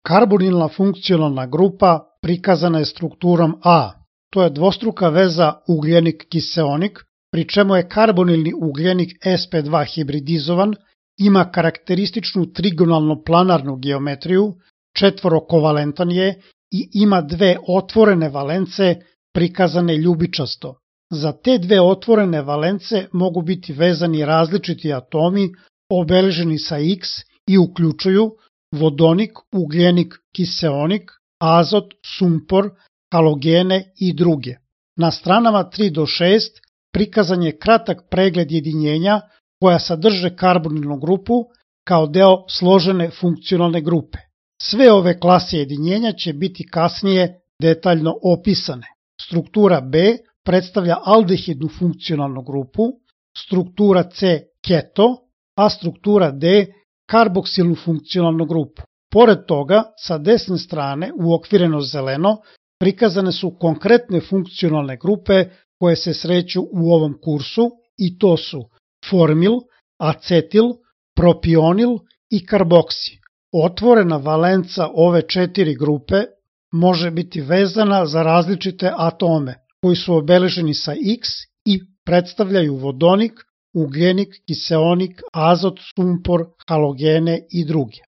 Karbonilna funkcionalna grupa prikazana je strukturom A. To je dvostruka veza ugljenik-kiseonik, pri čemu je karbonilni ugljenik sp2 hibridizovan, ima karakterističnu trigonalno-planarnu geometriju, četvorokovalentan je i ima dve otvorene valence prikazane ljubičasto. Za te dve otvorene valence mogu biti vezani različiti atomi obeleženi sa X i uključuju vodonik, ugljenik, kiseonik, azot, sumpor, halogene i druge. Na stranama 3 do 6 prikazan je kratak pregled jedinjenja koja sadrže karbonilnu grupu kao deo složene funkcionalne grupe. Sve ove klase jedinjenja će biti kasnije detaljno opisane. Struktura B predstavlja aldehidnu funkcionalnu grupu, struktura C keto, a struktura D karboksilnu funkcionalnu grupu. Pored toga, sa desne strane, uokvireno zeleno, prikazane su konkretne funkcionalne grupe koje se sreću u ovom kursu i to su formil, acetil, propionil i karboksi. Otvorena valenca ove 4 grupe može biti vezana za različite atome koji su obeleženi sa X i predstavljaju vodonik, ugljenik, kiseonik, azot, sumpor, halogene i druge.